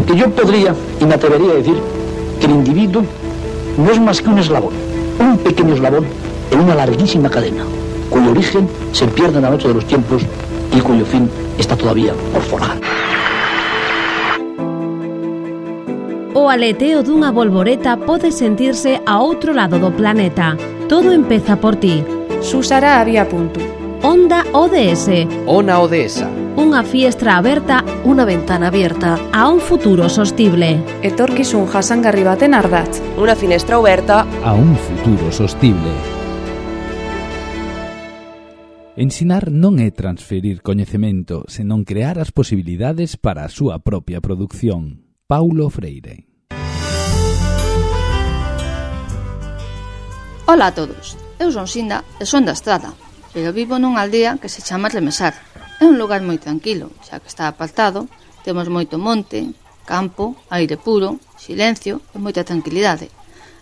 Porque yo podría y me atrevería a decir que el individuo no es más que un eslabón, un pequeño eslabón en una larguísima cadena, cuyo origen se pierde en la noche de los tiempos y cuyo fin está todavía por forjar. O aleteo dunha bolboreta pode sentirse a outro lado do planeta. Todo empeza por ti. Susara había punto. Onda ODS. Ona Odesa. Unha fiestra aberta, unha ventana abierta a un futuro sostible. Etorkizun jasangarri baten ardatz. Una finestra oberta a un futuro sostible. Ensinar non é transferir coñecemento, senón crear as posibilidades para a súa propia produción. Paulo Freire. Ola a todos, eu son Sinda e son da Estrada, pero vivo nunha aldea que se chama Remesar. É un lugar moi tranquilo, xa que está apartado, temos moito monte, campo, aire puro, silencio e moita tranquilidade.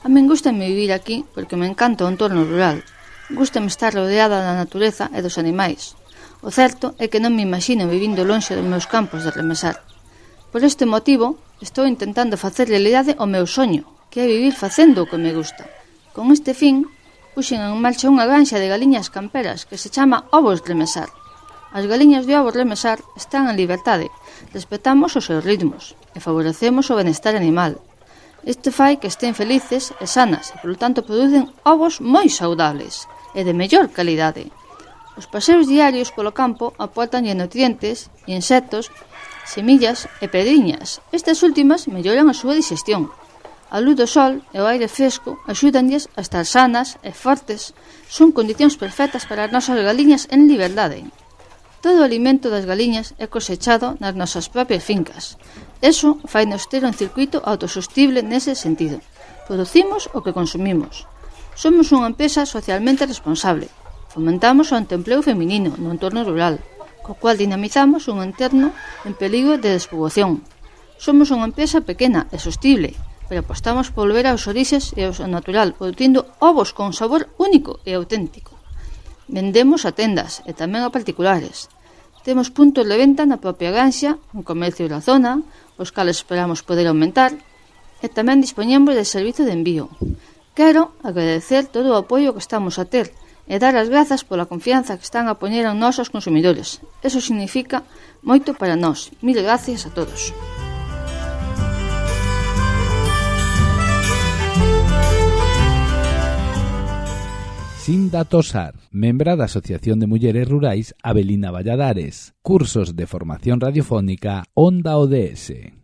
A min gústame vivir aquí porque me encanta o entorno rural. Gústame estar rodeada da natureza e dos animais. O certo é que non me imagino vivindo lonxe dos meus campos de Remesar. Por este motivo, estou intentando facer realidade o meu soño, que é vivir facendo o que me gusta. Con este fin, puxen en marcha unha granxa de galiñas camperas que se chama Ovos Remesar. As galiñas de Ovos Remesar están en liberdade, respetamos os seus ritmos e favorecemos o benestar animal. Isto fai que estén felices e sanas e, polo tanto, producen ovos moi saudables e de mellor calidade. Os paseos diarios polo campo aportanlle nutrientes, insectos, semillas e pedriñas. Estas últimas melloran a súa digestión. A luz do sol e o aire fresco axúdanlles a estar sanas e fortes. Son condicións perfectas para as nosas galiñas en liberdade. Todo o alimento das galiñas é cosechado nas nosas propias fincas. Eso fainos ter un circuito autosostible nese sentido. Producimos o que consumimos. Somos unha empresa socialmente responsable. Fomentamos o autoempleo feminino no entorno rural, co cual dinamizamos un entorno en perigo de despoboación. Somos unha empresa pequena e sostible, pero apostamos por volver aos orixes e ao natural, producindo ovos con sabor único e auténtico. Vendemos a tendas e tamén a particulares. Temos puntos de venta na propia granxa, un comercio da zona, os cales esperamos poder aumentar, e tamén dispoñemos de servizo de envío. Quero agradecer todo o apoio que estamos a ter e dar as grazas pola confianza que están a poñer en nós os consumidores. Eso significa moito para nós. Mil gracias a todos. Sinda Tosar, membra da Asociación de Mulleres Rurais Avelina Valladares. Cursos de formación radiofónica Onda ODS.